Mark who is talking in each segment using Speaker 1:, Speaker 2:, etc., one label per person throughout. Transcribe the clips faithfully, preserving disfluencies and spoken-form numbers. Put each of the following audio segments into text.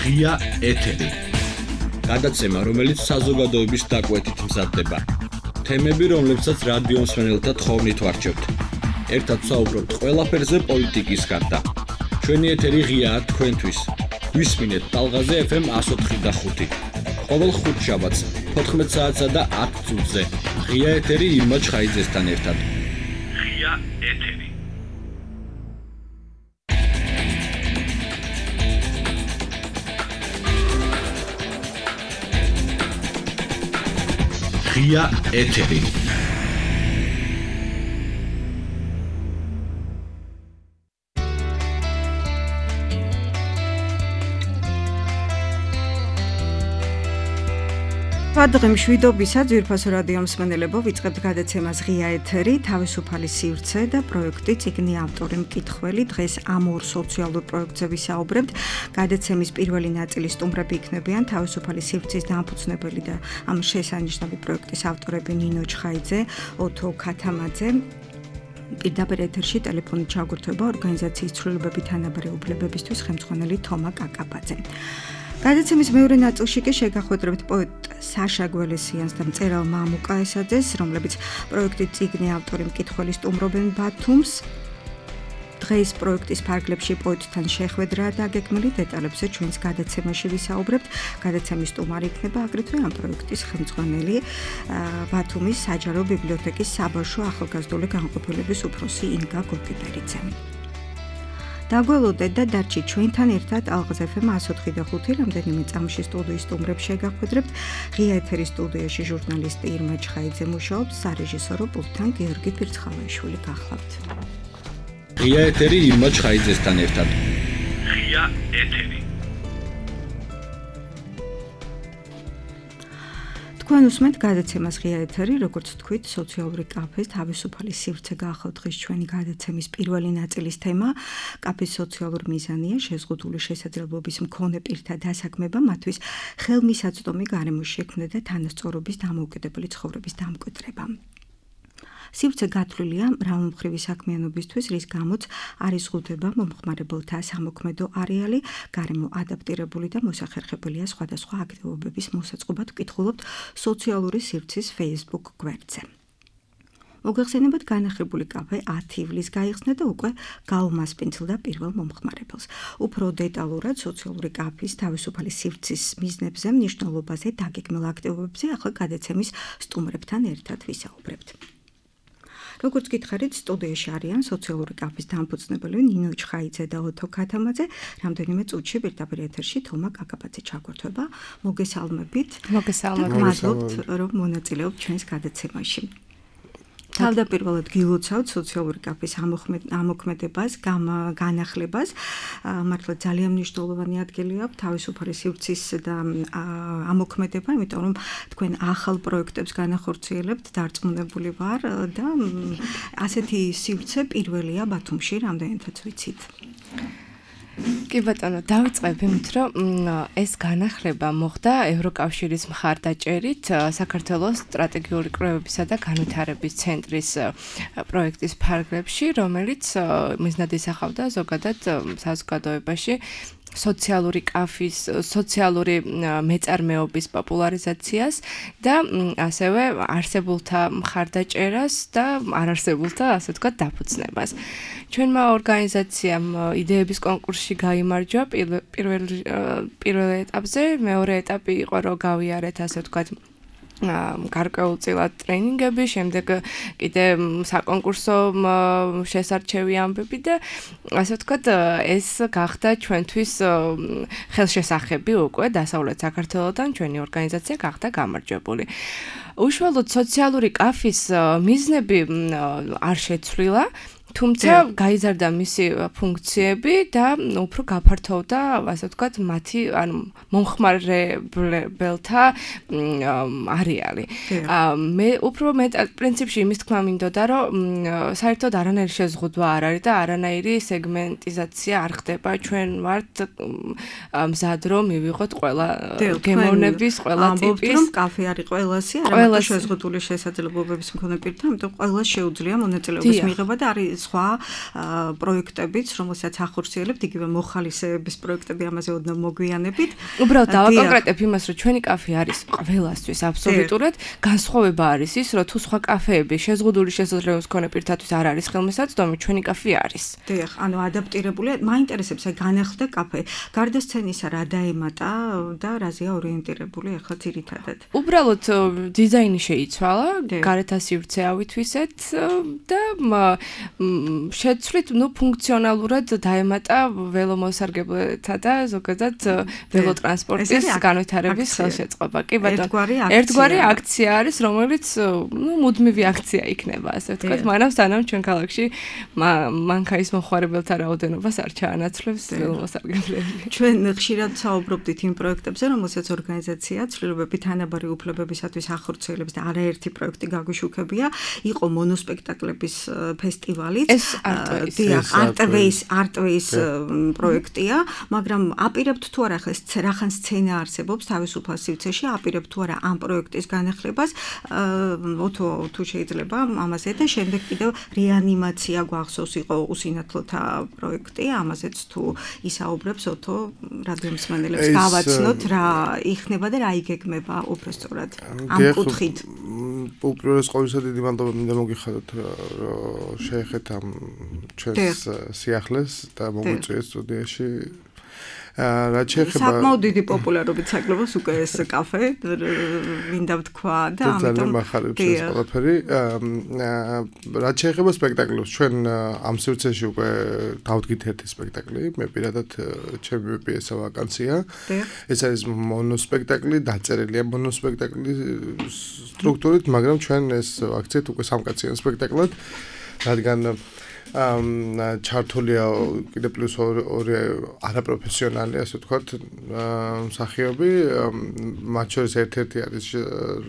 Speaker 1: ღია ეთერი. გადაცემა, რომელიც საზოგადოების დაკვეთით მზადდება. თემები, რომლებსაც რადიო მსმენელთა თხოვნით ვარჩევთ. ერთად საუბრობთ ყველაფერზე პოლიტიკის გარდა. ჩვენი ეთერი ღიაა თქვენთვის. ვისმინეთ ტალღაზე ეფ ემ one oh four და five. ყოველ ხუთშაბათს fourteen საათსა და ten წუთზე. ღია ეთერი ირმა ჩხაიძესთან ერთად. ღია ეთერი. ღია ეთერი.
Speaker 2: დღე მშვიდობისა ძვირფასო რადიო მსმენელებო, ვიწყებთ გადაცემას ღია ეთერი, თავისუფალი სივრცე და პროექტი წიგნი ავტორი მკითხველი. დღეს ამ ორ სოციალურ პროექტზე ვისაუბრებთ. გადაცემის პირველი ნაწილი სტუმრები იქნებიან თავისუფალი სივრცის დამფუძნებელი და ამ შესანიშნავი პროექტის ავტორები ნინო ჩხაიძე, ოთო ქათამაძე. პირდაპირ ეთერში ტელეფონით ჩაგვირთვება ორგანიზაციის ცვლილებები თანაბარი უფლებებისთვის ხელმძღვანელი თომა კაკაბაძე. გადაცემის მეორე ნაწილში კი შეგახვედრებთ პოეტ საშა გველესიანს და მწერალ მამუკა ესაძეს, რომლებიც პროექტის წიგნი ავტორი მკითხველი სტუმრობენ ბათუმს. დღეს პროექტის ფარგლებში პოეტთან შეხვედრაა დაგეგმილი, დეტალებზე ჩვენს გადაცემაში ვისაუბრებთ. გადაცემის სტუმარი იქნება აგრეთვე ამ პროექტის ხელმძღვანელი ბათუმის საჯარო ბიბლიოთეკის საბავშვო ახალგაზრდული განყოფილების უფროსი ინგა გოკიპერიძე. დაგველოდეთ და დარჩით ჩვენთან ერთად ალღაზ ეფ ემ one oh four და five რამდენიმე წამში სტუდიის სტუმრებს შეგახვედრებთ. ღია ეთერის სტუდიაში ჟურნალისტი ირმა ჩხაიძე მუშაობს, სარეჟისორო პულტთან გიორგი ფირცხალაიშვილი გახლავთ.
Speaker 1: ღია ეთერი ირმა ჩხაიძესთან ერთად. ღია ეთერი.
Speaker 2: თქვენ უსმენთ გადაცემას ღია ეთერი, როგორც თქვით, სოციალური კაფეს თავისუფალი სივრცე გახლავთ დღეს ჩვენი გადაცემის პირველი ნაწილის თემა. კაფის სოციალური მიზანია შეზღუდული შესაძლებლობის მქონე პირთა დასაქმება, მათთვის ხელმისაწვდომი გარემოს შექმნა და თანასწორობის დამოუკიდებელი ცხოვრების დამკვიდრება. სივრცე გათვლილია მრავალმხრივი საქმიანობისთვის, რის გამოც არის ზღუდება მომხმარებელთა სამოქმედო არეალი, გარემო ადაპტირებული და მოსახერხებელია სხვადასხვა აქტივობების მოსაწყობად ვკითხულობთ სოციალური სივრცის Facebook გვერდზე. მოგეხსენებათ, განახლებული კაფე ten ივლისს გაიხსნა და უკვე გაუმასპინძლდა პირველ მომხმარებელს. უფრო დეტალურად სოციალური კაფის თავისუფალი სივრცის მიზნებზე, მნიშვნელობაზე, დაგეგმილ აქტივობებზე ახლა გადაცემის სტუმრებთან ერთად ვისაუბრებთ. როგორც გითხარით, სტუდიაში არიან სოციალური კაფის დამფუძნებელი ნინო ჩხაიძე და ოთო ქათამაძე. რამდენიმე წუთში პირდაპირ ეთერში თომა კაკაბაძე ჩაგვირთვება. მოგესალმებით.
Speaker 3: მოგესალმებით.
Speaker 2: მადლობთ, რომ მონაწილეობთ ჩვენს გადაცემაში. თავდაპირველად გილოცავთ სოციალური კაფის ამოქმედებას, განახლებას. მართლა ძალიან მნიშვნელოვანი ადგილი აქვს თავისუფალი სივრცის და ამოქმედება, იმიტომ რომ თქვენ ახალ პროექტებს განახორციელებთ, დარწმუნებული ვარ და ასეთი სივრცე პირველია ბათუმში, რამდენადაც ვიცით.
Speaker 3: კი ბატონო, დავიწყებ იმით, რომ ეს განახლება მოხდა ევროკავშირის მხარდაჭერით საქართველოს სტრატეგიული კვლევებისა და განვითარების ცენტრის პროექტის ფარგლებში, რომელიც მიზნად ისახავდა ზოგადად საზოგადოებაში სოციალური კაფის, სოციალური მეწარმეობის პოპულარიზაციას და ასევე არსებულთა მხარდაჭერას და არარსებულთა, ასე ვთქვათ, დაფუძნებას. ჩვენმა ორგანიზაციამ იდეების კონკურსში გაიმარჯვა პირველ პირველ ეტაპზე, მეორე ეტაპი იყო, რომ გავიარეთ, ასე ვთქვათ, გარკვეულწილად ტრენინგები, შემდეგ კიდე საკონკურსო შესარჩევი ამბები და ასე ვთქვათ, ეს გახდა ჩვენთვის ხელშესახები უკვე დასავლეთ საქართველოდან ჩვენი ორგანიზაცია გახდა გამარჯვებული. უშუალოდ სოციალური კაფის მიზნები არ შეცვლილა, თუმცა გაიზარდა მისი ფუნქციები და უფრო გაფართოვდა, ასე ვთქვათ, მათი ანუ მომხმარებელთა არეალი. მე უფრო მე პრინციპში იმის თქმა მინდოდა, რომ საერთოდ არანაირი შეზღუდვა არ არის და არანაირი სეგმენტიზაცია არ ხდება. ჩვენ ვართ მზად რომ მივიღოთ ყველა გემოვნების ყველა ტიპის.
Speaker 2: ამბობთ, რომ კაფე არის ყველასი, არა შეზღუდული შესაძლებლობების მქონე პირთა, ამიტომ ყველას შეუძლია მონაწილეობის მიღება და არის სხვა პროექტებიც, რომელსაც ახორციელებთ, იგივე მოხალისეების პროექტები ამაზე ოდნავ მოგვიანებით.
Speaker 3: უბრალოდ დავაკონკრეტებ იმას, რომ ჩვენი კაფე არის ყველასთვის აბსოლუტურად, განსხვავება არის ის, რომ თუ სხვა კაფეები შეზღუდული შესაძლებლობის მქონე პირთათვის არ არის ხელმისაწვდომი, ჩვენი კაფე არის.
Speaker 2: დიახ, ანუ ადაპტირებულია, მაინტერესებს აი განახლდა კაფე. გარდა სცენისა რა დაემატა და რაზეა ორიენტირებული ახლა ძირითადად?
Speaker 3: უბრალოდ დიზაინი შეიცვალა, გარეთ სივრცე ავითვისეთ და შეცვლით, ნუ ფუნქციონალურად დაემატა ველომოსარგებლეთა და ზოგადად ველოტრანსპორტის განვითარების ხელშეწყობა. კი ბატონო, ერთგვარი აქცია არის, რომელიც ნუ მუდმივი აქცია იქნება, ასე ვთქვათ, მაგრამ სანამ ჩვენ ქალაქში მანქანის მოხმარებელთა რაოდენობას არ ჩაანაცვლებს ველომოსარგებლები.
Speaker 2: ჩვენ ხშირად საუბრობდით იმ პროექტებზე, რომელსაც ორგანიზაცია ცვლილებები თანაბარი უფლებებისათვის ახორციელებს და არაერთი პროექტი გაგვიშუქებია, იყო მონოსპექტაკლების ფესტივალიც.
Speaker 3: ეს არტვეის
Speaker 2: არტვეის არტვეის პროექტია, მაგრამ აპირებთ თუ არა ხეს რახან სცენა არსებობს თავისუფალ სივრცეში, აპირებთ თუ არა ამ პროექტის განახლებას, ოთო თუ შეიძლება ამაზე და შემდეგ კიდევ რეანიმაცია გვახსოვს იყო უსინათლოთა პროექტი, ამაზეც თუ ისაუბრებს ოთო რადიომსმენელებს გავაცნოთ რა იქნება და რა იგეგმება უბრალოდ ამ კუთხით.
Speaker 4: უპირველეს ყოვლისა დიდი მადლობა მინდა მოგიხადოთ რომ შეეხეთ ამ ჩვენს სიახლეს და მოგვიწვიეს სტუდიაში. რაც შეეხება
Speaker 2: საკმაოდ დიდი პოპულარობით საკლუბოს უკვე ეს კაფე მინდა ვთქვა და ამიტომ
Speaker 4: მახარებს ეს ყველაფერი. რაც შეეხება სპექტაკლებს, ჩვენ ამ სივრცეში უკვე დავდგით ერთი სპექტაკლი, მე პირადად ჩემი პიესა ვაკანცია. ეს არის მონოსპექტაკლი, დაწერილია მონოსპექტაკლი სტრუქტურით, მაგრამ ჩვენ ეს აქციეთ უკვე სამკაციან სპექტაკლად, რადგან ამ ჩართულია კიდე პლუს ორი არაპროფესიონალი, ასე ვთქვათ, მსახიობი, მათ შორის ერთ-ერთი არის,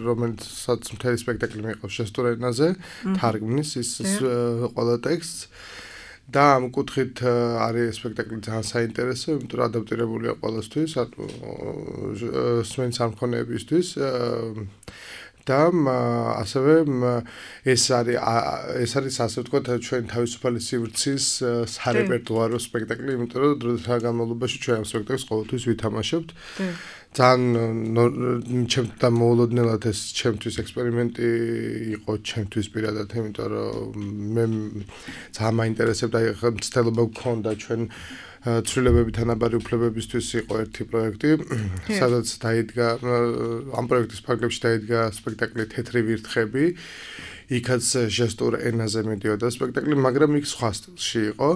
Speaker 4: რომელსაც მთელი სპექტაკლი მიიღოს შესტურ ენაზე, თარგმნის ის ყველა ტექსტს. და ამ კუთხით არის სპექტაკლი ძალიან საინტერესო, იმიტომ რომ ადაპტირებულია ყველასთვის, სმენის ამქონეებისთვის. და ასევე ეს არის ეს არის ასე ვთქვათ ჩვენ თავისუფალი სივრცის სარეპერტუარო სპექტაკლი, იმიტომ რომ დროთა განმავლობაში ჩვენ ამ სპექტაკლს ყოველთვის ვითამაშებთ. ძალიან ჩემთან მოულოდნელად ეს ჩემთვის ექსპერიმენტი იყო ჩემთვის პირადად, იმიტომ რომ მე ძალიან მაინტერესებდა, ახლა მცდელობა გქონდა ჩვენ ცვლილებები თანაბარი უფლებებისთვის იყო ერთი პროექტი, სადაც დაიდგა ამ პროექტის ფარგლებში დაიდგა სპექტაკლი თეთრი ვირთხები. იქაც ჟესტურ ენაზე მიდიოდა სპექტაკლი, მაგრამ იქ სხვა სტილში იყო.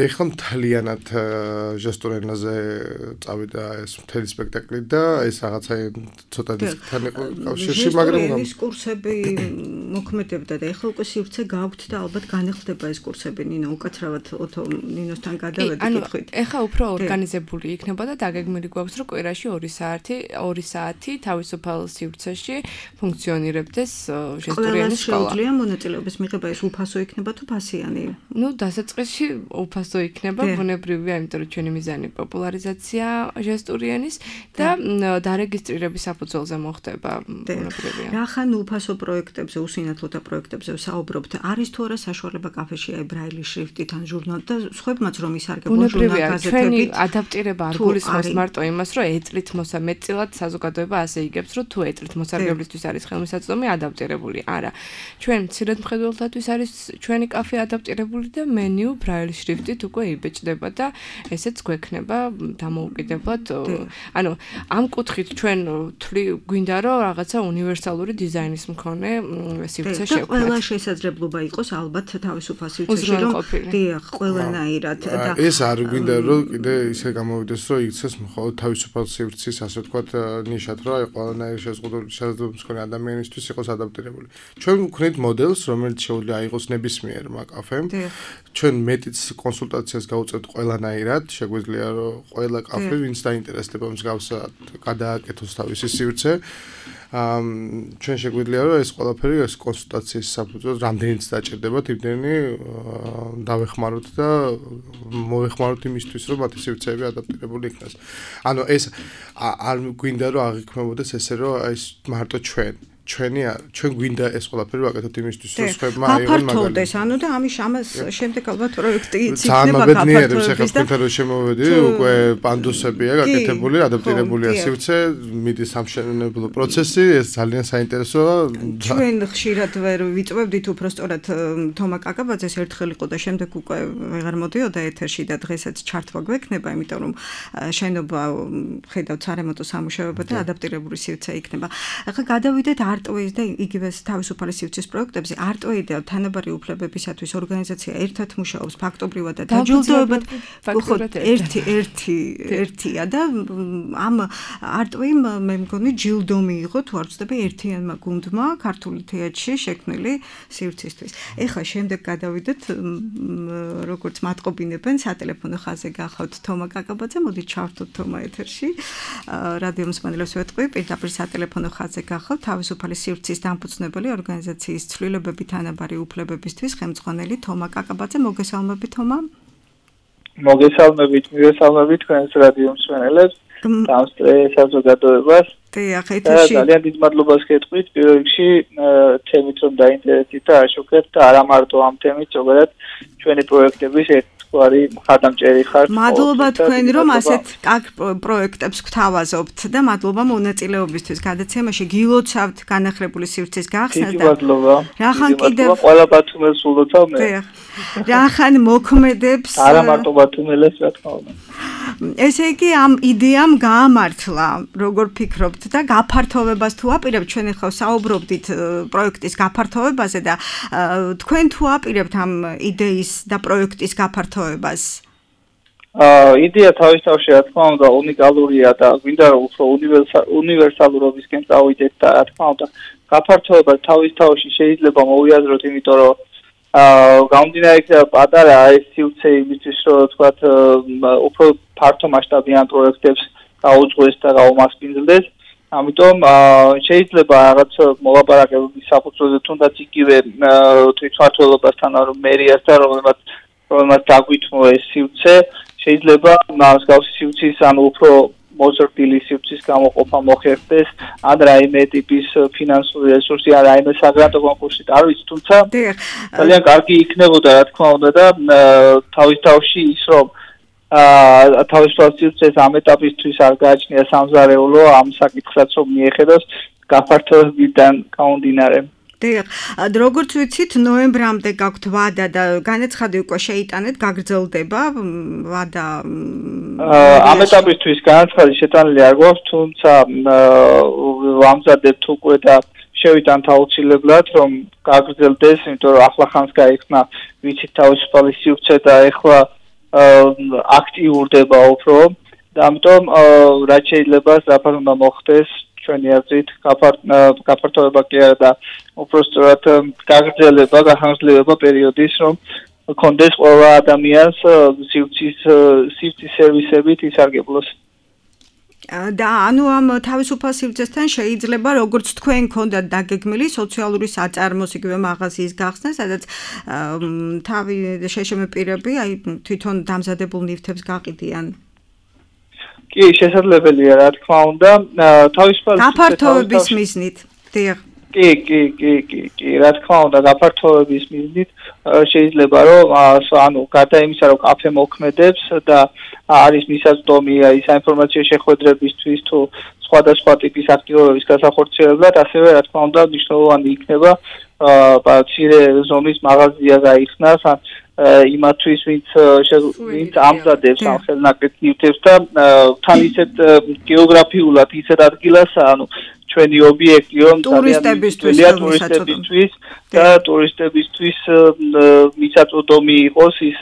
Speaker 4: ეხლა მთლიანად ჟესტურ ენაზე წავიდა ეს მთელი სპექტაკლი და ეს რაღაცა ცოტა დისკთან იყო კავშირში, მაგრამ
Speaker 2: ეს კურსები მოქმედებდა და ეხლა უკვე სივრცე გაქვთ და ალბათ განახლდება ეს კურსები. ნინო, უკაცრავად ოთო ნინოსთან გადავედი კითხვით.
Speaker 3: ეხლა უფრო ორგანიზებული იქნება და დაგეგმილი გვაქვს, რომ კვირაში ორი საათი, ორი საათი თავისუფალ სივრცეში ფუნქციონირებდეს ჟესტურიანი სკოლა.
Speaker 2: შეუძლია მონაწილეობის მიღება, ეს უფასო იქნება თუ ფასიანი?
Speaker 3: ნუ დასაწყისში უფასო იქნება, ბუნებრივია, იმიტომ რომ ჩვენი მიზანი პოპულარიზაცია ჟესტურიანის და დარეგისტრირების საფუძველზე მოხდება, ბუნებრივია.
Speaker 2: რახან უფასო პროექტებზე, უსინათლოთა პროექტებზე საუბრობთ, არის თუ არა საშუალება კაფეში აი ბრაილის შრიფტით ან ჟურნალ და სხვებმაც რომ ისარგებლონ ჟურნალ გაზეთებით?
Speaker 3: ჩვენი ადაპტირება არ გულისხმობს მარტო იმას, რომ ეწლით მოსამეწილად საზოგადოება ასე იგებს, რომ თუ ეწლით მოსარგებლისთვის არის ხელმისაწვდომი ადაპტირებული. არა. ჩვენ მცირედ მხედველთათვის არის ჩვენი კაფე ადაპტირებული და მენიუ ბრაილის შრიფტით უკვე იბეჭდება და ესეც გვექნება დამოუკიდებლად. ანუ ამ კუთხით ჩვენ გვინდა რომ რაღაცა უნივერსალური დიზაინის მქონე სივრცე შევქმნათ.
Speaker 2: ყველა შესაძლებლობა იყოს ალბათ თავისუფალ სივრცეში, რომ დიახ, ყველანაირად და
Speaker 4: ეს არ გვინდა რომ კიდე ისე გამოვიდეს, რომ იქცეს მხოლოდ თავისუფალ სივრცის, ასე ვთქვათ, ნიშად, რომ აი ყველანაირი შეზღუდული შესაძლებლობის მქონე ადამიანისთვის იყოს ადაპტირებული. ჩვენ ვქნით მოდელს, რომელიც შეუძლია აიღოს ნებისმიერმა კაფემ. ჩვენ მეტიც კონსულტაციას გავუწევთ ყველანაირად, შეგვიძლია რომ ყველა კაფე, ვინც დაინტერესდება მსგავსად, გადააკეთოს თავისი სივრცე. ჩვენ შეგვიძლია რომ ეს ყველაფერი ეს კონსულტაციის საფუძველზე რამდენიც დაჭირდება, იმდენი დავეხმაროთ და მოეხმაროთ იმისთვის, რომ მათი სივრცეები ადაპტირებული იქნას. ანუ ეს არ გვინდა რომ აღიქმებოდეს ესე რომ ეს მარტო ჩვენ ჩვენი ჩვენ გვინდა ეს ყველაფერი ვაკეთოთ იმისთვის რომ სხვებმა აიღონ მაგალითად.
Speaker 2: გაფართოვდეს, ანუ და ამის ამას შემდეგ ალბათ პროექტი იქნება
Speaker 4: გაფართოვების. ახლა თქვენთან რომ შემოვედი, უკვე პანდუსებია გაკეთებული, ადაპტირებულია სივრცე, მიდის სამშენებლო პროცესი, ეს ძალიან საინტერესოა.
Speaker 2: ჩვენ ხშირად ვერ ვიწვევდით უბრალოდ თომა კაკაბაძეს ერთხელ იყო და შემდეგ უკვე ვეღარ მოდიოდა ეთერში და დღესაც ჩართვა გვექნება, იმიტომ რომ შენობა ხედავთ სარემონტო სამუშაოება და ადაპტირებული სივრცე იქნება. ახლა გადავიდეთ არტოის და იგივე თავისუფალი სივრცის პროექტებზე. არტოი და თანაბარი უფლებებისათვის ორგანიზაცია ერთად მუშაობს ფაქტობრივად და დაჯილდოებად ერთი ერთი ერთია და ამ არტოიმ მე მგონი ჯილდო მიიღო თუ არ ვცდები ერთიანმა გუნდმა ქართული თეატრში შექმნილი სივრცისთვის. ეხლა შემდეგ გადავიდეთ როგორც მატყობინებენ სატელეფონო ხაზზე გახავთ თომა კაკაბაძე, მოდი ჩავთოთ თომა ეთერში. რადიო მსმენელებს ვეთყვი, პირდაპირ სატელეფონო ხაზზე გახავთ თავისუფალი სივრცის დამფუძნებელი ორგანიზაციის ცვლილებები თანაბარი უფლებებისთვის ხელმძღვანელი თომა კაკაბაძე. მოგესალმებით თომა.
Speaker 5: მოგესალმებით, მოგესალმებით თქვენს რადიო მსმენელებს. ამ საზოგადოებას.
Speaker 2: დიახ, ეთერში.
Speaker 5: ძალიან დიდ მადლობას გეტყვით პირველ რიგში თემით რომ დაინტერესდით და აშუქებთ და არა მარტო ამ თემით, ზოგადად ჩვენი პროექტების ერთგვარი მხარდამჭერი ხართ.
Speaker 2: მადლობა თქვენ რომ ასეთ კარგ პროექტებს გთავაზობთ და მადლობა მონაწილეობისთვის გადაცემაში. გილოცავთ განახლებული სივრცის გახსნას
Speaker 5: და მადლობა.
Speaker 2: რახან კიდევ
Speaker 5: ყველა ბათუმელს ულოცავ მე.
Speaker 2: დიახ. რახან მოქმედებს
Speaker 5: არა მარტო ბათუმელს, რა თქმა უნდა.
Speaker 2: ესე იგი ამ იდეამ გაამართლა, როგორ ფიქრობთ და გაფართოვებას თუ აპირებთ, ჩვენ ახლა საუბრობდით პროექტის გაფართოვებაზე და თქვენ თუ აპირებთ ამ იდეის და პროექტის გაფართოვებას?
Speaker 5: აა იდეა თავის თავში რა თქმა უნდა უნიკალურია და გვინდა რომ უფრო უნივერსალურობისკენ წავიდეთ და რა თქმა უნდა გაფართოვება თავის თავში შეიძლება მოვიაზროთ, იმიტომ რომ აა გამომდინარე იქნება პატარა ეს სივრცე იმისთვის რომ თქვათ უფრო ფართო მასშტაბიან პროექტებს გაუძღვეს და გაუმასპინძლდეს. ამიტომ შეიძლება რაღაც მოლაპარაკებების საფუძველზე თუნდაც იგივე თვითმმართველობასთან რომ მერიასთან რომელმაც რომელმაც დაგვითმო ეს სივრცე შეიძლება მსგავსი სივრცის ანუ უფრო მოზრდილი სივრცის გამოყოფა მოხერხდეს ან რაიმე ტიპის ფინანსური რესურსი ან რაიმე საგრანტო კონკურსი არ ვიცი, თუმცა ძალიან კარგი იქნებოდა რა თქმა უნდა და თავის თავში ის რომ აა თავისუფალ სივრცეს ამ ეტაპისთვის არ გააჩნია სამზარეულო ამ საკითხსაც რომ მიეხედოს გაფართოებიდან გამომდინარე.
Speaker 2: დიახ, როგორც ვიცით, ნოემბრამდე გაქვთ ვადა და განაცხადი უკვე შეიტანეთ, გაგრძელდება ვადა.
Speaker 5: ამ ეტაპისთვის განაცხადი შეტანილი არ გვაქვს, თუმცა ვამზადებთ უკვე და შევიტანთ აუცილებლად, რომ გაგრძელდეს, იმიტომ რომ ახლა ხანს გაიხსნა ვიცით თავისუფალი სივრცე და ეხლა აქტიურდება უფრო და ამიტომ რაც შეიძლება სწრაფად უნდა მოხდეს ჩვენი აზრით გაფართოვება კი არა და უпростоრად გაგრძელება, გახანგრძლივება პერიოდის, რომ კონდეს ყველა ადამიანს სივრცის სივრცის სერვისებით ისარგებლოს.
Speaker 2: და ანუ ამ თავისუფალ სივრცესთან შეიძლება როგორც თქვენ გქონდათ დაგეგმილი სოციალური საწარმოს იგივე მაღაზიის გახსნა, სადაც თავი შეშემე პირები აი თვითონ დამზადებულ ნივთებს გაყიდიან.
Speaker 5: კი, შესაძლებელია რა თქმა უნდა, თავისუფალ
Speaker 2: გაფართოვების მიზნით. დიახ.
Speaker 5: კი, კი, კი, კი, კი, რა თქმა უნდა, გაფართოვების მიზნით შეიძლება რომ ანუ გარდა იმისა, რომ კაფე მოქმედებს და არის მისაწვდომი აი საინფორმაციო შეხვედრებისთვის თუ სხვადასხვა ტიპის აქტივობების გასახორციელებლად, ასევე რა თქმა უნდა მნიშვნელოვანი იქნება აა მცირე ზომის მაღაზია გაიხსნას ან იმათვის ვინც ვინც ამზადებს ამ ხელნაკეთ ნივთებს და თან ისეთ გეოგრაფიულად ისეთ ადგილას ანუ ჩვენი ობიექტი რომ
Speaker 2: ტურისტებისთვის
Speaker 5: ტურისტებისთვის და ტურისტებისთვის მისაწვდომი იყოს ის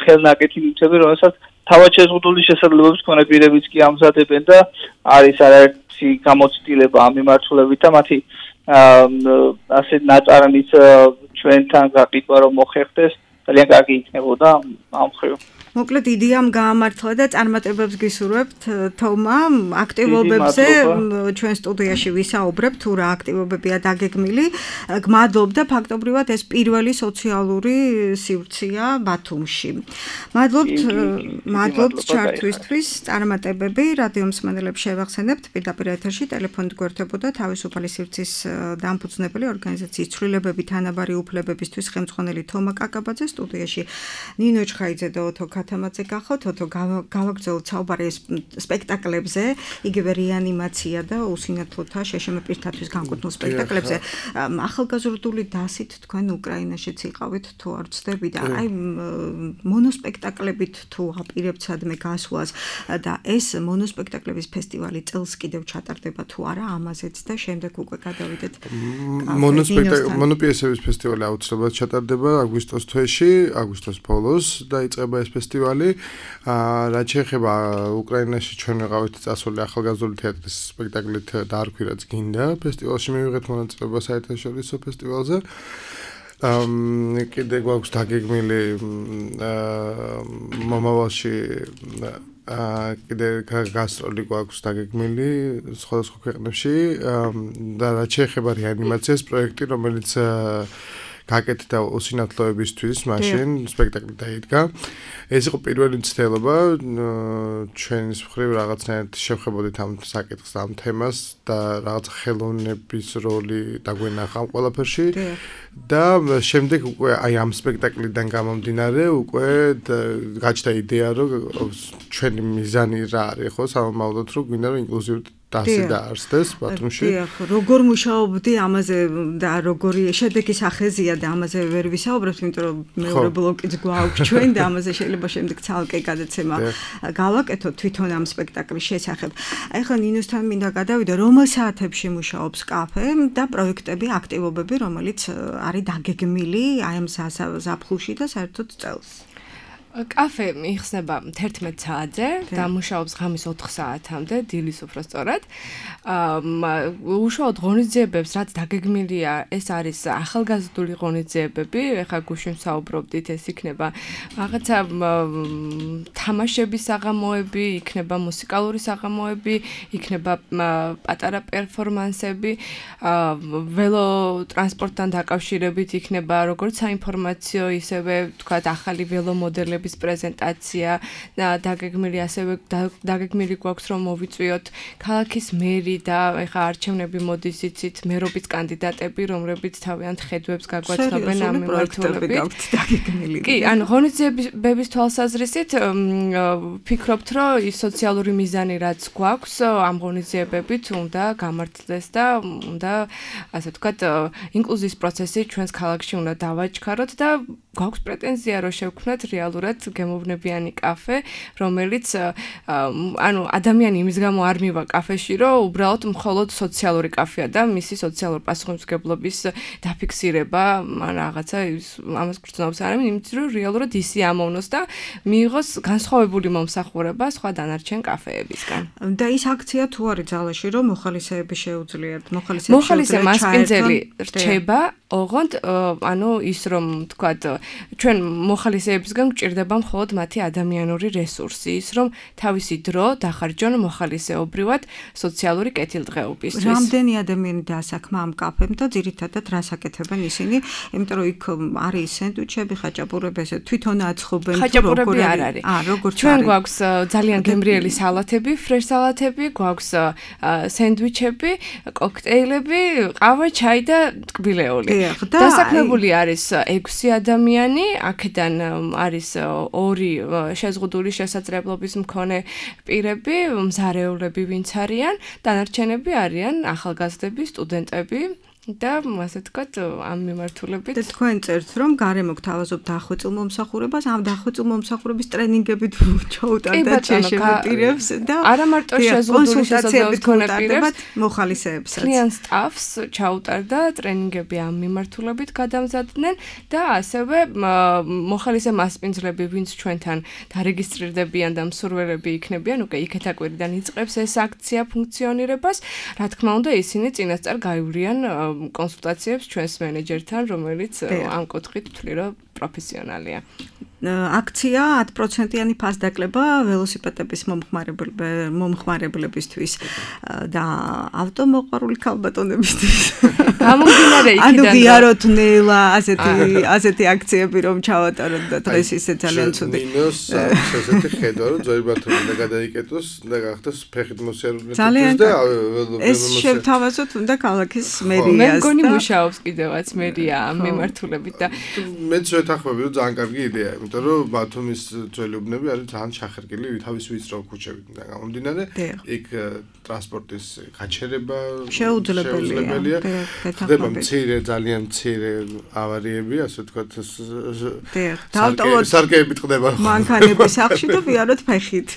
Speaker 5: ხელნაკეთი ნივთები, რომელსაც თავად შეზღუდული შესაძლებლობის მქონე პირებიც კი ამზადებენ და არის არაერთი გამოცდილება ამ მიმართულებით და მათი ასე ნაწარმის ჩვენთან გაყიდვა რომ მოხერხდეს ძალიან კარგი იქნებოდა ამ მხრივ.
Speaker 2: მოკლედ იდეამ გაამართლა და წარმატებებს გისურვებთ თომა აქტივობებზე ჩვენ სტუდიაში ვისაუბრებთ თუ რა აქტივობებია დაგეგმილი გმადლობ და ფაქტობრივად ეს პირველი სოციალური სივრცეა ბათუმში მადლობთ მადლობთ ჩართვისთვის წარმატებები რადიო მსმენელებს შევახსენებთ პირდაპირ ეთერში ტელეფონით გვერდებოდა თავისუფალი სივრცის დამფუძნებელი ორგანიზაციის ცვლილებები თანაბარი უფლებებისთვის ხელმძღვანელი თომა კაკაბაძე სტუდიაში ნინო ჩხაიძე და ოთო ქათამაძე გახოთ ოთო გავაგრძელოთ საუბარი სპექტაკლებზე იგივე რეანიმაცია და უსინათლოთა შეშმ პირთათვის განკუთვნილ სპექტაკლებზე ახალგაზრდული დასით თქვენ უკრაინაშიც იყავით თუ არ ვცდები და აი მონოსპექტაკლებით თუ აპირებთ სადმე გასვლას და ეს მონოსპექტაკლების ფესტივალი წელს კიდევ ჩატარდება თუ არა ამაზეც და შემდეგ უკვე გადავიდეთ
Speaker 4: მონოსპექტაკლ მონოპიესების ფესტივალი აუცილებლად ჩატარდება აგვისტოს თვეში აგვისტოს ბოლოს დაიწყება ეს ფესტივალი რაც შეეხება უკრაინაში ჩვენ ვიყავით წასული ახალგაზრდული თეატრის სპექტაკლით დაარქვი რაც გინდა ფესტივალში მივიღეთ მონაწილეობა საერთაშორისო ფესტივალზე ამ კიდე გვაქვს დაგეგმილი მომავალში აა კიდე გასტროლი გვაქვს დაგეგმილი სხვადასხვა ქვეყნებში და რაც შეეხება რეანიმაციას პროექტი რომელიც გაკეთდა უსინათლოებისთვის მაშინ სპექტაკლი დაიდგა ეს იყო პირველი მცდელობა ჩვენის მხრივ რაღაცნაირად შევხებოდით ამ საკითხს ამ თემას და რაღაც ხელოვნების როლი დაგვენახა ამ ყველაფერში და შემდეგ უკვე აი ამ სპექტაკლიდან გამომდინარე უკვე გაჩნდა იდეა რომ ჩვენი მიზანი რა არის ხო სამომავლოდ რომ გვინდა რომ ინკლუზიური დასი დაარსდეს ბათუმში.
Speaker 2: დიახ, როგორ მუშაობდი ამაზე და როგორი შედეგის ახეზია და ამაზე ვერ ვისაუბრებთ, იმიტომ რომ მეორე ბლოკიც გვაქვს ჩვენ და ამაზე შეიძლება შემდეგ ცალკე გადაცემა გავაკეთოთ თვითონ ამ სპექტაკლის შესახებ. ახლა ნინოსთან მინდა გადავიდე, რომელ საათებში მუშაობს კაფე და პროექტები, აქტივობები, რომელიც არის დაგეგმილი აი ამ ზაფხულში და საერთოდ წელს.
Speaker 3: კაფე იხსნება თერთმეტ საათზე და მუშაობს ღამის ოთხ საათამდე, დილის უფრო სწორად. უშუალოდ ღონისძიებებს რაც დაგეგმილია, ეს არის ახალგაზრდული ღონისძიებები, ეხლა გუშინ საუბრობდით, ეს იქნება რაღაცა თამაშების საღამოები, იქნება მუსიკალური საღამოები, იქნება პატარა პერფორმანსები, ველო ტრანსპორტთან დაკავშირებით იქნება როგორც საინფორმაციო, ისევე თქვათ ახალი ველო მოდელები პრეზენტაცია და დაგეგმილი ასევე დაგეგმილი გვაქვს რომ მოვიწვიოთ ქალაქის მერი და ეხა არჩევნები მოდის იცით მერობის კანდიდატები რომლებიც თავიანთ ხედვებს გაგვაცხობენ ამ მიმართულებით
Speaker 2: დაგეგმილი
Speaker 3: კი ანუ ღონისძიებების თვალსაზრისით ფიქრობთ რომ ის სოციალური მიზანი რაც გვაქვს ამ ღონისძიებებით უნდა გამართლდეს და უნდა ასე ვთქვათ ინკლუზიის პროცესი ჩვენს ქალაქში უნდა დავაჩქაროთ და გვაქვს პრეტენზია რომ შევქმნათ რეალურად გემოვნებიანი კაფე, რომელიც ანუ ადამიანი იმის გამო არ მივა კაფეში, რომ უბრალოდ მხოლოდ სოციალური კაფეა და მისი სოციალური პასუხისმგებლობის დაფიქსირება, ან რაღაცა ამას გრძნობს არ ამინ, იმიტომ რომ რეალურად ისი ამოვნოს და მიიღოს განსხვავებული მომსახურება სხვა დანარჩენ კაფეებისგან.
Speaker 2: და ის აქცია თუ არის ძალაში, რომ მოხალისეები შეუძლიათ, მოხალისეები
Speaker 3: მოხალისე მასპინძელი რჩება, ოღონდ ანუ ის რომ თქვათ ჩვენ მოხალისეებისგან გვჭირდება მხოლოდ მათი ადამიანური რესურსი, ის რომ თავისი დრო დახარჯონ მოხალისეობრივად სოციალური კეთილდღეობისთვის.
Speaker 2: რამდენი ადამიანი დაასაქმა ამ კაფემ და ძირითადად რას აკეთებენ ისინი? იმიტომ რომ იქ არის სენდვიჩები, ხაჭაპურები, ესე თვითონ აცხობენ თუ
Speaker 3: ხაჭაპურები არ არის.
Speaker 2: აა, როგორც
Speaker 3: ჩვენ გვაქვს ძალიან გემრიელი სალათები, ფრეშ სალათები, გვაქვს სენდვიჩები, კოქტეილები, ყავა, ჩაი და ტკბილეული. დასაქმებული არის ექვსი ადამიანი, აქედან არის ორი შეზღუდული შესაძლებლობის მქონე პირები, მზარეულები ვინც არიან, დანარჩენები არიან ახალგაზრდები, სტუდენტები და ასე ვთქვათ ამ მიმართულებით
Speaker 2: და თქვენ წერთ რომ გარემო გთავაზობთ დახვეწილ მომსახურებას, ამ დახვეწილ მომსახურების ტრენინგებით ჩაუტარდათ შეშებპირებს და
Speaker 3: არა მარტო შეზღუდული შესაძლებლობის მქონე პირებს,
Speaker 2: მოხალისეებსაც.
Speaker 3: კლient staffs ჩაუტარდა ტრენინგები ამ მიმართულებით გადამზადდნენ და ასევე მოხალისე მასპინძლები, ვინც ჩვენთან დარეგისტრირდებიან და მსურველები იქნებიან, უკვე იქეთ აკვირიდან იწყებს ეს აქცია ფუნქციონირებას, რა თქმა უნდა, ისინი წინასწარ გაივლიან კონსულტაციებს ჩვენს მენეჯერთან, რომელიც ამ კუთხით ვთვლი, რომ პროფესიონალია.
Speaker 2: აქცია ათი პროცენტიანი ფასდაკლება ველოსიპედების მომხმარებლებისთვის და ავტომოყვარული ქალბატონებისთვის.
Speaker 3: გამომდინარე იქიდან.
Speaker 2: ანუ ვიაროთ ნელა ასეთი ასეთი აქციები რომ ჩავატაროთ და დღეს ისე ძალიან ცუდი.
Speaker 4: მინოს ასეთი ხედვა რომ ძველი ბათუმი და გადაიკეტოს და გახდეს ფეხით მოსიარულე
Speaker 2: და ეს შევთავაზოთ უნდა ქალაქის მერიას.
Speaker 3: მე მგონი მუშაობს კიდევაც მერია ამ მიმართულებით და
Speaker 4: მეც ვეთანხმები რომ ძალიან კარგი იდეაა, იმიტომ რომ ბათუმის ძველი უბნები არის ძალიან ჩახერგილი თავის ვიწრო ქუჩებიდან გამომდინარე, იქ ტრანსპორტის გაჩერება
Speaker 2: შეუძლებელია.
Speaker 4: ხდება მცირე, ძალიან მცირე ავარიები, ასე ვთქვათ, სარკეები ტყდება.
Speaker 2: მანქანების სახში და ვიაროთ ფეხით.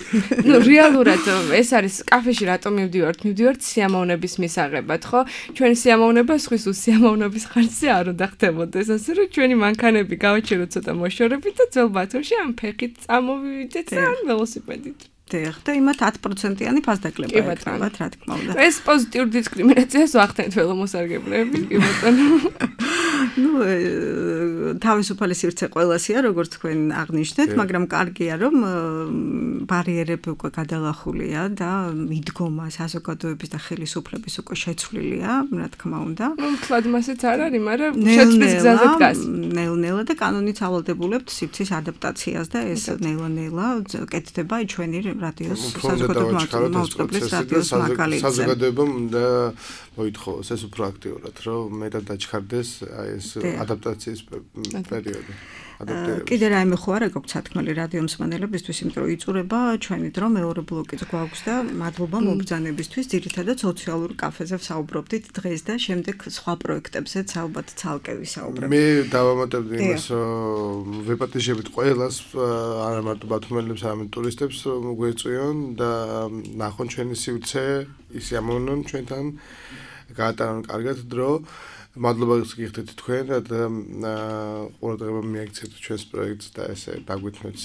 Speaker 3: ნუ რეალურად ეს არის კაფეში რატომ მივდივართ? მივდივართ სიამოვნების მისაღებად, ხო? ჩვენი სიამოვნება სხვის უსიამოვნების ხარჯზე არ უნდა ხდებოდეს, ასე რომ ჩვენი მანქანები გავაჩეროთ ცოტა მოშორებით და ძველ ბათუმში ამ ფეხით წამოვიდეთ ან ველოსიპედით.
Speaker 2: დიახ, და იმათ ათი პროცენტიანი ფასდაკლება ეკრებათ, რა თქმა უნდა.
Speaker 3: ეს პოზიტიური დისკრიმინაციას ვახდენთ ველომოსარგებლეები, კი ბატონო.
Speaker 2: ნუ თავისუფალი სივრცე ყველასია, როგორც თქვენ აღნიშნეთ, მაგრამ კარგია რომ ბარიერები უკვე გადალახულია და მიდგომა საზოგადოების და ხელისუფლების უკვე შეცვლილია, რა თქმა უნდა.
Speaker 3: ნუ თქვა მასეც არ არის, მაგრამ შეცვლის გზაზე დგას.
Speaker 2: ნელ-ნელა და კანონით ავალდებულებთ სივრცის ადაპტაციას და ეს ნელა-ნელა კეთდება ჩვენი რადიოს საზოგადოებრივ მაუწყებლის რადიოს მაგალითზე.
Speaker 4: საზოგადოებამ უნდა მოითხოვოს ეს უფრო აქტიურად, რომ მეტად დაჩქარდეს აი ეს ადაპტაციის პერიოდი.
Speaker 2: კიდე რაიმე ხო არა გვაქვს სათქმელი რადიო მსმენელებისთვის, იმიტომ რომ იწურება ჩვენი დრო მეორე ბლოკიც გვაქვს და მადლობა მობრძანებისთვის, ძირითადად სოციალურ კაფეზე ვსაუბრობდით დღეს და შემდეგ სხვა პროექტებზეც ალბათ ცალკე ვისაუბრებ.
Speaker 4: მე დავამატებდი იმას, რომ ვეპატიჟებით ყველას, არა მარტო ბათუმელებს, არამედ ტურისტებს მოგვეწვიონ და ნახონ ჩვენი სივრცე, ის ამოვნონ ჩვენთან, გაატარონ კარგად დრო. მადლობა გიხდით თქვენ და ყურადღება მიაქცევთ ჩვენს პროექტს და ესე დაგვეთმოთ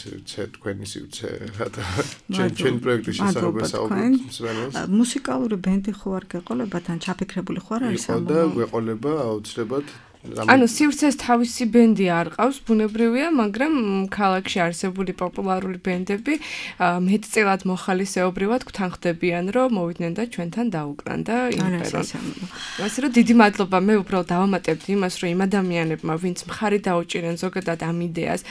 Speaker 4: თქვენი სივრცე რათა ჩვენ პროექტის შესაძლებლობა საუბრობთ.
Speaker 2: მუსიკალური ბენდი ხო არ გეყოლებათ ან ჩაფიქრებული ხო არ არის ამ?
Speaker 4: და გვეყოლება აუცილებლად.
Speaker 3: ანუ სივრცეს თავისი ბენდი არ ყავს, ბუნებრივია, მაგრამ ქალაქში არსებული პოპულარული ბენდები მეტწილად მოხალისეობრივად გვთანხმდებიან, რომ მოვიდნენ და ჩვენთან დაუკრან და იმპერონ. ასე რომ დიდი მადლობა, მე უბრალოდ დავამატებდი იმას, რომ იმ ადამიანებმა, ვინც მხარი დაუჭირენ ზოგადად ამ იდეას,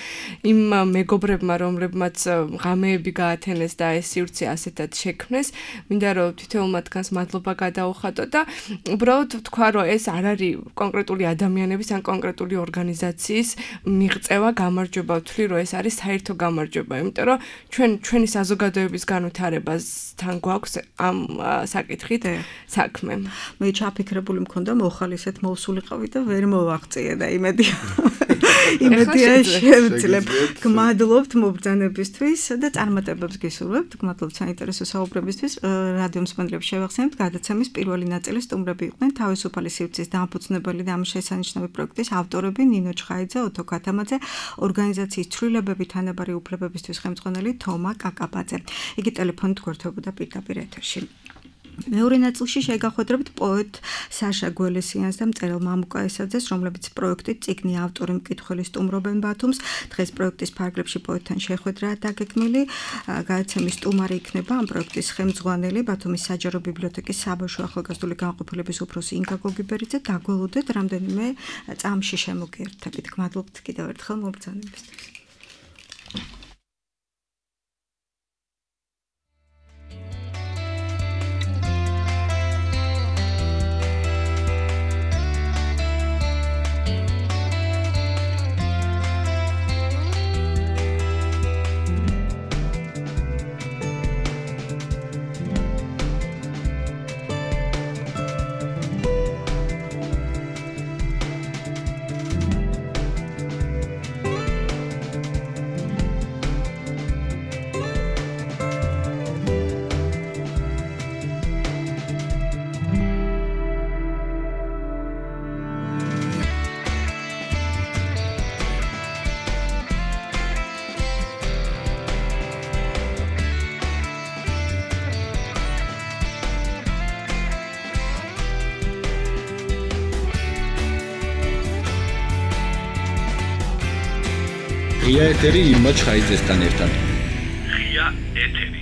Speaker 3: იმ მეგობრებმა, რომლებმაც ღამეები გაათენეს და ეს სივრცე ასეთად შექმნეს, მინდა რომ თითოეულ მათგანს მადლობა გადაუხატო და უბრალოდ თქვა, რომ ეს არ არის კონკრეტული ადამიანი ან კონკრეტული ორგანიზაციის მიღწევა, გამარჯვება ვთვლი, რომ ეს არის საერთო გამარჯვება, იმიტომ რომ ჩვენ ჩვენი საზოგადოების განვითარებასთან გვაქვს ამ საკითხით საქმე.
Speaker 2: მე ჩაფიქრებული მქონდა მოხალისეთ მოვსულიყავი და ვერ მოვაღწიე და იმედია იმედია შევძლებ. გმადლობთ მობრძანებისთვის და წარმატებებს გისურვებთ. გმადლობთ საინტერესო საუბრებისთვის. რადიო მსმენელებს შევახსენებთ, გადაცემის პირველი ნაწილის სტუმრები იყვნენ თავისუფალი სივრცის დამფუძნებელი და ამ შესანიშნავი პროექტის ავტორები ნინო ჩხაიძე, ოთო ქათამაძე, ორგანიზაციის ცვლილებები თანაბარი უფლებებისთვის ხელმძღვანელი თომა კაკაბაძე. იგი ტელეფონით გვერდებოდა პირდაპირ ეთერში. მეორე ნაწილში შეგახვედრებთ პოეტ საშა გველესიანს და მწერალ მამუკა ესაძეს, რომლებიც პროექტით წიგნი ავტორი მკითხველი სტუმრობენ ბათუმს. დღეს პროექტის ფარგლებში პოეტთან შეხვედრაა დაგეგმილი. გადაცემის სტუმარი იქნება ამ პროექტის ხელმძღვანელი ბათუმის საჯარო ბიბლიოთეკის საბავშვო ახალგაზრდული განყოფილების უფროსი ინგა გოგიბერიძე. დაგველოდეთ რამდენიმე წამში შემოგიერთებით. გმადლობთ კიდევ ერთხელ მობრძანებისთვის.
Speaker 1: ღია ეთერი ირმა ჩხაიძესთან ერთად.
Speaker 6: ღია ეთერი.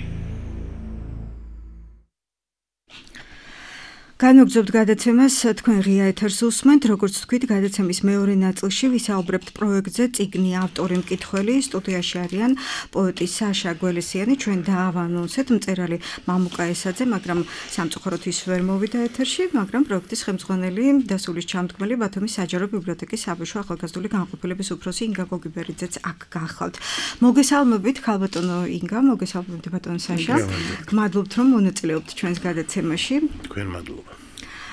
Speaker 2: განვაგრძობთ გადაცემას, თქვენ ღია ეთერს უსმენთ, როგორც თქვით, გადაცემის მეორე ნაწილში ვისაუბრებთ პროექტზე წიგნი ავტორი მკითხველი, სტუდიაში არიან პოეტი საშა გველესიანი, ჩვენ დაავანონსეთ მწერალი მამუკა ესაძე, მაგრამ სამწუხაროდ ის ვერ მოვიდა ეთერში, მაგრამ პროექტის ხელმძღვანელი და სულის ჩამდგმელი ბათუმის საჯარო ბიბლიოთეკის საბავშვო ახალგაზრდული განყოფილების უფროსი ინგა გოგიბერიძეც აქ გახლავთ. მოგესალმებით, ქალბატონო ინგა, მოგესალმებით ბატონო საშა. გმადლობთ, რომ მონაწილეობთ ჩვენს გადაცემაში.
Speaker 4: თქვენ მადლობა.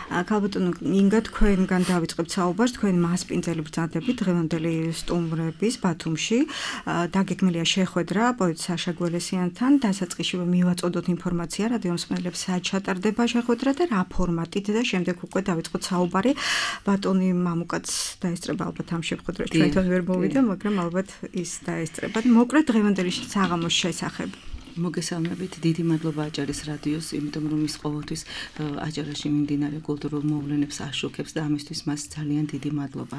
Speaker 2: ქალბატონო ინგა, თქვენგან დავიწყებთ საუბარს, თქვენ მასპინძელი ბრძანდებით დღევანდელი სტუმრების ბათუმში. დაგეგმილია შეხვედრა პოეტ საშა გველესიანთან, დასაწყისში მივაწოდოთ ინფორმაცია რადიო მსმენელებს სად ჩატარდება შეხვედრა და რა ფორმატით და შემდეგ უკვე დავიწყოთ საუბარი. ბატონი მამუკაც დაესწრება ალბათ ამ შეხვედრას, ჩვენთან ვერ მოვიდა, მაგრამ ალბათ ის დაესწრება. მოკლედ დღევანდელი საღამოს შესახებ.
Speaker 7: მოგესალმებით, დიდი მადლობა აჭარის რადიოს, იმიტომ რომ ის ყოველთვის აჭარაში მიმდინარე კულტურულ მოვლენებს აშუქებს და ამისთვის მას ძალიან დიდი მადლობა.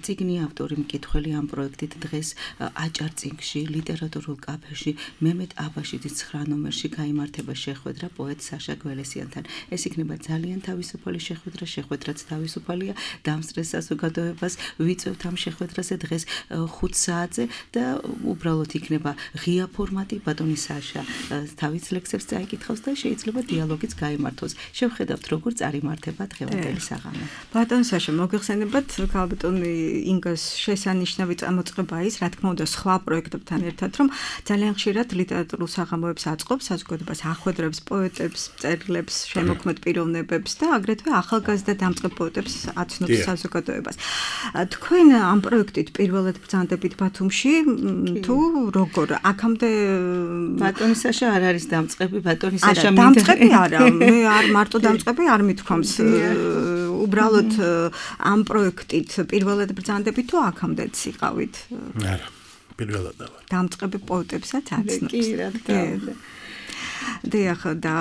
Speaker 7: წიგნი ავტორი მკითხველი ამ პროექტით დღეს აჭარ წიგნში, ლიტერატურულ კაფეში, მემედ აბაშიძის ცხრა ნომერში გაიმართება შეხვედრა პოეტ საშა გველესიანთან. ეს იქნება ძალიან თავისუფალი შეხვედრა, შეხვედრაც თავისუფალია, დამსწრეს საზოგადოებას ვიწევთ ამ შეხვედრაზე დღეს ხუთ საათზე და უბრალოდ იქნება ღია ფორმატი, ბატონი თავის ლექსებს წაიკითხავს და შეიძლება დიალოგიც გაიმართოს. შევხედავთ, როგორ წარიმართება დღევანდელი საღამო.
Speaker 2: ბატონ საშა, მოგეხსენებათ, ქალბატონი ინგას შესანიშნავი წამოწყება ის, რა თქმა უნდა, სხვა პროექტებთან ერთად, რომ ძალიან ხშირად ლიტერატურულ საღამოებს აწყობს, საზოგადოებას ახვედრებს პოეტებს, მწერლებს, შემოქმედ პიროვნებებს და აგრეთვე ახალგაზრდა დამწყებ პოეტებს აცნობს საზოგადოებას. თქვენ ამ პროექტით პირველად ბრძანდებით ბათუმში, თუ როგორ? აქამდე
Speaker 7: ბატონი საშა არ არის დამწყები, ბატონი საშა
Speaker 2: მინდა დამწყები არა, მე არ მარტო დამწყები არ მithქვამს. უბრალოდ ამ პროექტით პირველად ბრძანდებით თუ აქამდეც იყავით?
Speaker 4: არა, პირველად ვარ.
Speaker 2: დამწყები პოეტებსაც აცნობს.
Speaker 7: კი, რა თქმა უნდა.
Speaker 2: დიახ, და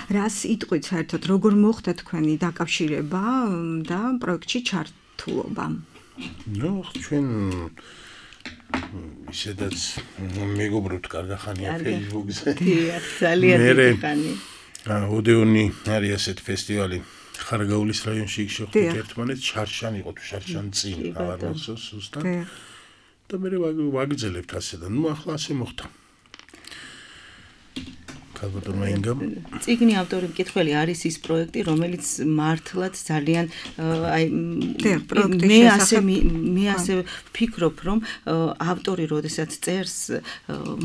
Speaker 2: რას იტყვით საერთოდ, როგორ მოხდა თქვენი დაკავშირება და პროექტში ჩართულობა?
Speaker 4: ნუ, ჩვენ ისედაც მეგობრობთ კარგახანია Facebook-ზე.
Speaker 7: დიახ, ძალიან დიდი ხანი.
Speaker 4: ოდეონი არის ასეთ ფესტივალი ხარაგაულის რაიონში იქ შეხვდით ერთმანეთს, შარშან იყო თუ შარშან წინ, აღარ მახსოვს ზუსტად. და მე ვაგრძელებთ ასე და ნუ ახლა ასე მოხდა. ქალბატონმა ინგამ
Speaker 7: წიგნი ავტორი მკითხველი არის ის პროექტი, რომელიც მართლაც ძალიან აი მე ასე მე ასე ვფიქრობ, რომ ავტორი როდესაც წერს,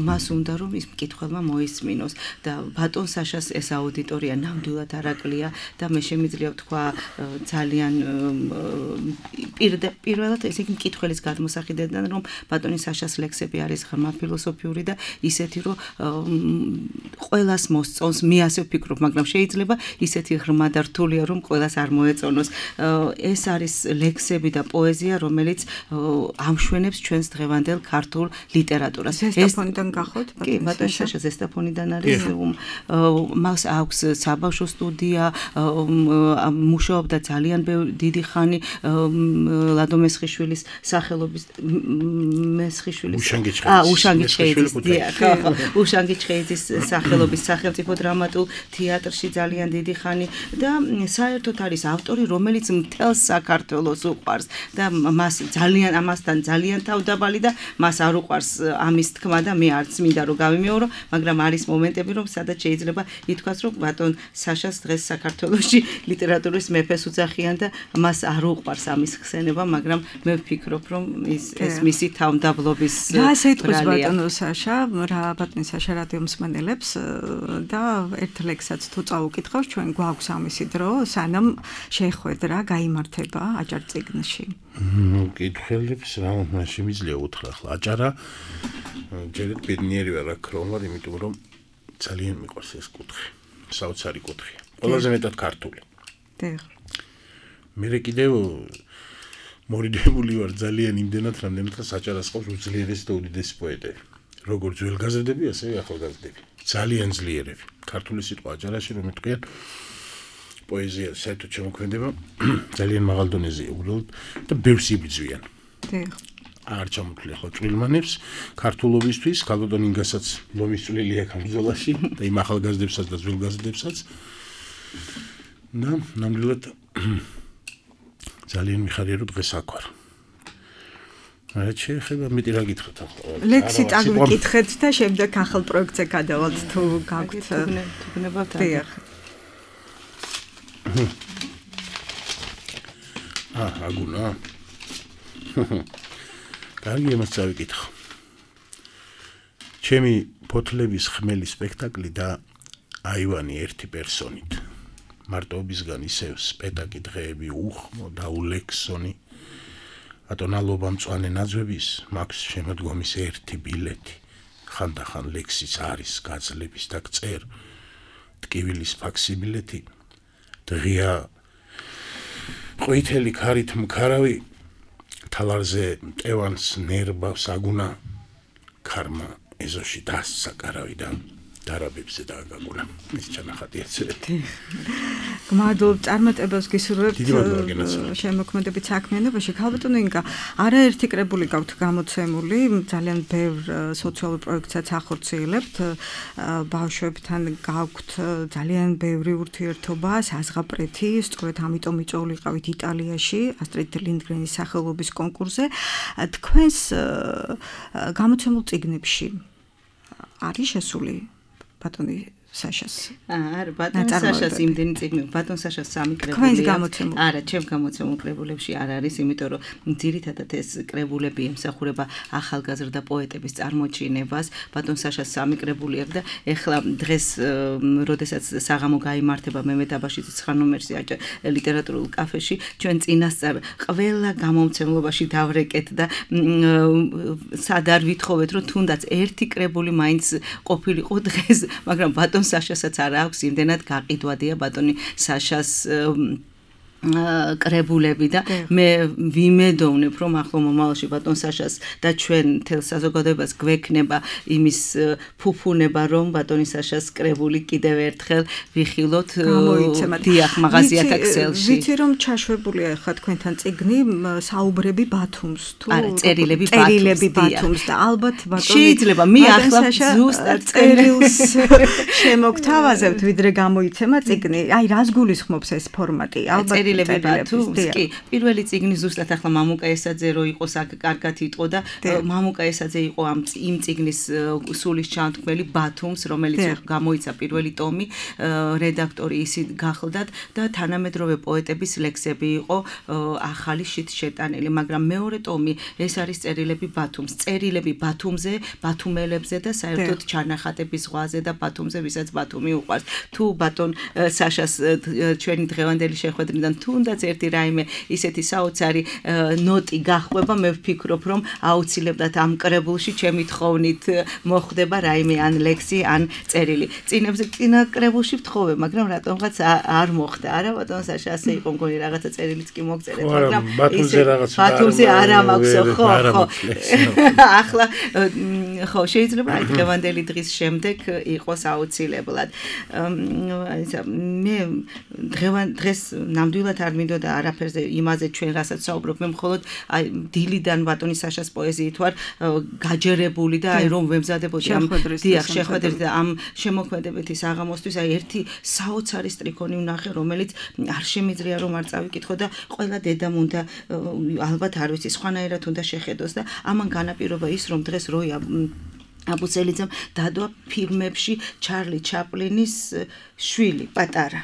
Speaker 7: მას უნდა რომ ის მკითხველმა მოისმინოს და ბატონ საშას ეს აუდიტორია ნამდვილად არაკლია და მე შემიძლია ვთქვა ძალიან პირველად ეს იგი მკითხველის გადმოსახედიდან, რომ ბატონი საშას ლექსები არის ღრმა ფილოსოფიური და ისეთი, რომ ყველას მოსწონს, მე ასე ვფიქრობ, მაგრამ შეიძლება ისეთი ღრმა და რთულია, რომ ყველას არ მოეწონოს. ეს არის ლექსები და პოეზია, რომელიც ამშვენებს ჩვენს დღევანდელ ქართულ ლიტერატურას.
Speaker 2: ზესტაფონიდან გახოთ?
Speaker 7: კი, ბატონ საშა ზესტაფონიდან არის. მას აქვს საბავშვო სტუდია, მუშაობდა ძალიან დიდი ხანი ლადო მესხიშვილის სახელობის მესხიშვილის აა უშანგიჩხეიძის უშანგიჩხეიძის სახელობის სახელმწიფო დრამატულ თეატრში ძალიან დიდი ხანი და საერთოდ არის ავტორი, რომელიც მთელს საქართველოს უყვარს და მას ძალიან ამასთან ძალიან თავდაბალი და მას არ უყვარს ამის თქმა და მე არც მინდა რომ გავიმეორო, მაგრამ არის მომენტები, რომ სადაც შეიძლება ითქვას, რომ ბატონ საშას დღეს საქართველოში ლიტერატურის მეფეს უძახიან და მას არ უყვარს ამის ხსენება, მაგრამ მე ვფიქრობ, რომ ის ეს მისი თავდაბლობის
Speaker 2: რა ეთქვის ბატონო საშა, რა ბატონ საშა რადიო მსმენელებს და ერთ ლექსსაც თუ წაუკითხავს, ჩვენ გვაქვს ამისი დრო, სანამ შეხვედრა გაიმართება აჭარ წიგნში.
Speaker 4: მკითხველებს რა უნდა შემიძლია უთხრა ახლა აჭარა ჯერეთ ბედნიერი ვარ აქ რომ ვარ, იმიტომ რომ ძალიან მიყვარს ეს კუთხე, საოცარი კუთხეა. ყველაზე მეტად ქართული.
Speaker 2: დიახ.
Speaker 4: მე კიდევ მორიდებული ვარ ძალიან იმდენად, რამდენადაც აჭარას ყავს უძლიერესი და უდიდესი პოეტები. როგორც ძველგაზრდები, ასევე ახალგაზრდები. ძალიან ძლიერები. ქართული სიტყვა აჭარაში რომ იტყვიან პოეზია საერთოდ შემოქმედება ძალიან მაღალ დონეზეა უბრალოდ და ბევრს იბრძვიან.
Speaker 2: დიახ.
Speaker 8: არ ჩამოთვლი ხო წვილმანებს ქართულობისთვის ქალბატონ ინგასაც ლომის წვლილი აქვს ამ ბრძოლაში და იმ ახალგაზრდებსაც და ძველგაზრდებსაც და ნამდვილად ძალიან მიხარია რომ დღეს აქ ვარ რა შეიძლება მეტი რა გითხრათ ახლა
Speaker 2: ლექსი წაგვიკითხეთ და შემდეგ ახალ პროექტზე გადავალთ თუ გაგვთ
Speaker 7: თუნებავთ
Speaker 8: აა აგუნა კარგი იმას წავიკითხო ჩემი ფოთლების ხმელი სპექტაკლი და აივანი ერთი პერსონით მარტოობისგან ისევ სპეტაკი დღეები უხმო და ულექსონი ატონალობა მწვანე ნაძვების მაქვს შემოდგომის ერთი ბილეთი ხანდახან ლექსის არის გაძლების და გწერ ტკივილის ფაქსიმილეთი დღია ყვითელი ქარით მქარავი თალარზე მტევანს ნერბავს აგუნა ქარმა ეზოში დასცა კარავი და დარაბებზე დააგაგუნა ეს ჩანახატი ეცერეთ
Speaker 2: გმადლობ წარმატებას გისურვებთ შემოქმედებით საქმიანობაში ქალბატონო ინგა არაერთი კრებული გაქვთ გამოცემული ძალიან ბევრ სოციალურ პროექტსაც ახორციელებთ ბავშვებთან გაქვთ ძალიან ბევრი ურთიერთობა საზღაპრეთი სწორედ ამიტომ მიწვეულიყავით იტალიაში ასტრიდ ლინდგრენის სახელობის კონკურსზე თქვენს გამოცემულ წიგნებში არის შესული ბატონი საშას.
Speaker 7: არა, ბატონ საშას იმდენი წიგნი, ბატონ საშას სამი კრებული. არა, ჩემ გამოცემულ კრებულებში არ არის, იმიტომ რომ ძირითადად ეს კრებულები ემსახურება ახალგაზრდა პოეტების წარმოჩინებას. ბატონ საშას სამი კრებული აქვს და ეხლა დღეს, როდესაც საღამო გაიმართება მემედ აბაშიძის ცხრა ნომერში ლიტერატურულ კაფეში, ჩვენ წინასწარ ყველა გამომცემლობაში დავრეკეთ და სად არ ვითხოვეთ, რომ თუნდაც ერთი კრებული მაინც ყოფილიყო დღეს, მაგრამ ბატონ საშასაც არ აქვს იმდენად გაყიდვადია ბატონი საშას კრებულები და მე ვიმედოვნებ რომ ახლა მომავალში ბატონ საშას და ჩვენ თელ საზოგადოებას გვექნება იმის ფუფუნება რომ ბატონი საშას კრებული კიდევ ერთხელ ვიხილოთ დიახ მაღაზიათა ქსელში
Speaker 2: ვიცი რომ ჩაშვებულია ხა თქვენთან წიგნი საუბრები ბათუმს თუ
Speaker 7: არა წერილები
Speaker 2: წერილები ბათუმს და ალბათ ბატონი
Speaker 7: შეიძლება მე ახლა ზუსტად
Speaker 2: წერილს შემოგთავაზებთ ვიდრე გამოიცემა წიგნი აი რას გულისხმობს ეს ფორმატი ალბათ
Speaker 7: წერილები ბათუმს კი პირველი წიგნი ზუსტად ახლა მამუკა ესაძე რო იყოს აქ კარგად იტყო და მამუკა ესაძე იყო ამ იმ წიგნის სულის ჩანთქმელი ბათუმს რომელიც გამოიცა პირველი ტომი რედაქტორი ისი გახლდათ და თანამედროვე პოეტების ლექსები იყო ახალი შით შეტანილი მაგრამ მეორე ტომი ეს არის წერილები ბათუმს წერილები ბათუმზე ბათუმელებზე და საერთოდ ჩანახატების ზღვაზე და ბათუმზე ვისაც ბათუმი უყვარს თუ ბატონ საშას ჩვენი დღევანდელი შეხვედრიდან თუნდაც ერთი რაიმე ისეთი საოცარი ნოტი გახვება მე ვფიქრობ რომ აუცილებლად ამ კრებულში ჩემი თხოვნით მოხდება რაიმე ან ლექსი ან წერილი წინებზე წინა კრებულში ვთხოვე მაგრამ რატომღაც არ მოხდა არა ბატონ საშა ასე იყო მგონი რაღაცა წერილიც კი მოგწერეთ მაგრამ
Speaker 8: ბათუმზე რაღაცა
Speaker 7: ბათუმზე არ ამაქვსო ხო ხო ახლა ხო შეიძლება აი დღევანდელი დღის შემდეგ იყოს აუცილებლად მე დღევან დღეს ნამდვილად არ მინდოდა არაფერზე იმაზე ჩვენ რასაც საუბრობ მე მხოლოდ აი დილიდან ბატონი საშას პოეზიით ვარ გაჯერებული და აი რომ ვემზადებოდი ამ დიახ შეხვედრით და ამ შემოქმედებითი საღამოსთვის აი ერთი საოცარი სტრიქონი ვნახე რომელიც არ შემიძლია რომ არ წავიკითხო და ყველა დედამ უნდა ალბათ არ ვიცი სხვანაირად უნდა შეხედოს და ამან განაპირობა ის რომ დღეს როი აბუცელიძემ დადვა ფილმებში ჩარლი ჩაპლინის შვილი პატარა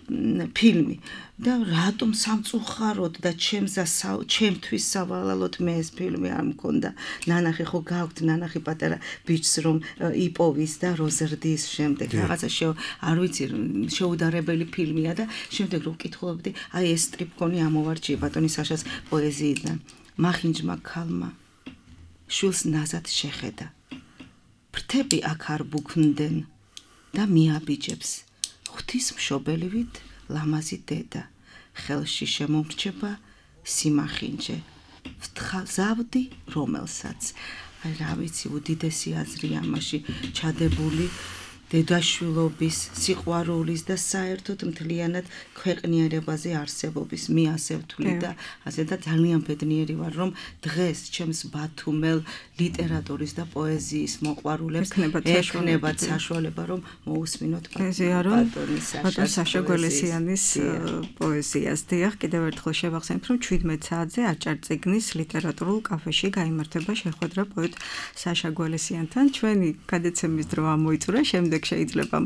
Speaker 7: ფილმი და რატომ სამწუხაროდ და ჩემსა ჩემთვის სავალალოდ მე ეს ფილმი არ მქონდა ნანახი ხო გაქვთ ნანახი პატარა ბიჭს რომ იპოვის და როზრდის შემდეგ რაღაცა შე არ ვიცი შეუდარებელი ფილმია და შემდეგ რომ ვკითხულობდი აი ეს სტრიპკონი ამოვარჩიე ბატონი საშას პოეზიიდან მახინჯმა ქალმა შვილს ნაზად შეხედა ფრთები აქ არ ბუქნდნენ და მიაბიჯებს ღვთისმშობელივით ლამაზი დედა ხელში შემომრჩება სიმახინჯე ვთხაზავდი რომელსაც აი რა ვიცი უდიდესი აზრი ამაში ჩადებული დედაშვილობის, სიყვარულის და საერთოდ მთლიანად ქვეყნიერებაზე არსებობის მიასევთული და ასე და ძალიან ბედნიერი ვარ, რომ დღეს ჩემს ბათუმელ ლიტერატურის და პოეზიის მოყვარულებს ექნებათ საშუალება, რომ მოусმინოთ
Speaker 2: ბატონ საშა გველესიანის პოეზიას. დიახ, კიდევ ერთხელ შევახსენებ, რომ შვიდმეტ საათზე აჭარწიგნის ლიტერატურულ კაფეში გაიმართება შეხვედრა პოეტ საშა გველესიანთან. ჩვენი გადაცემის დრო ამოიწურა, შემდეგ შეიძლება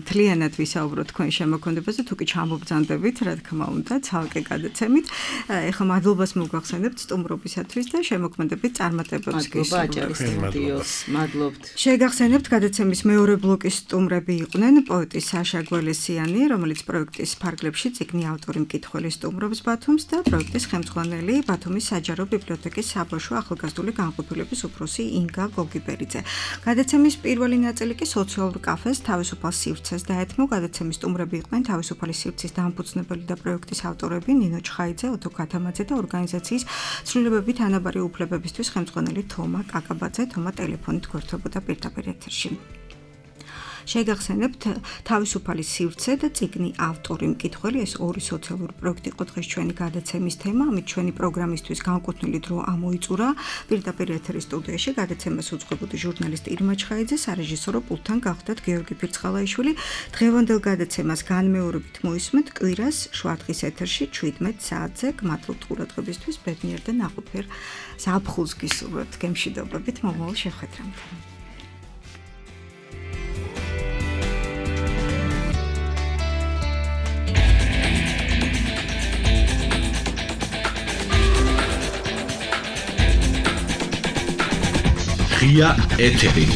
Speaker 2: მთლიანად ვისაუბროთ თქვენ შემოქმედებაზე, თუ კი ჩამობრძანდებით, რა თქმა უნდა, ცალკე გადაცემით. ეხლა მადლობას მოგახსენებთ სტუმრობისათვის და შემოქმედებით წარმატებებს
Speaker 7: გისურვებთ. მადლობთ.
Speaker 2: შეგახსენებთ გადაცემის მეორე ბლოკის სტუმრები იყვნენ პოეტი საშა გველესიანი, რომელიც პროექტის ფარგლებში წიგნი ავტორი მკითხველი სტუმრობს ბათუმს და პროექტის ხელმძღვანელი ბათუმის საჯარო ბიბლიოთეკის საბავშვო ახალგაზრდული განყოფილების უფროსი ინგა გოგიბერიძე. გადაცემის პირველი ნაწილი კი სოციალურ კაფეს თავისუფალ სივრცეს დაეთმო. გადაცემის სტუმრები იყვნენ თავისუფალი სივრცის დამფუძნებელი და პროექტის ავტორები ნინო ჩხაიძე, ოტო ქათამაძე და ორგანიზაციის ცვლილებებით ანაბარი უფლებებისთვის ხელმძღვანელი თომა კაკაბაძე. თომა ტელეფონით გვერდებოდა პირდაპირ ეთერში. შეგახსენებთ თავისუფალი სივრცე და წიგნი ავტორი მკითხველი, ეს ორი სოციალური პროექტი იყო დღეს ჩვენი გადაცემის თემა. ამით ჩვენი პროგრამისთვის განკუთვნილი დრო ამოიწურა. პირდაპირ ეთერის სტუდიაში გადაცემას უძღვებოდი ჟურნალისტი ირმა ჩხაიძე, სარეჟისორო პულტთან გახდათ გიორგი ფირცხალაიშვილი. დღევანდელ გადაცემას განმეორებით მოისმენთ კვირას შვართხის ეთერში შვიდმეტ საათზე. გმადლობთ ყურადღებისთვის, ბედნიერ და ნაყოფიერ ზაფხულს გისურვებთ. გემშვიდობებით, მომავალ შეხვედრამდე.
Speaker 6: ღია ეთერი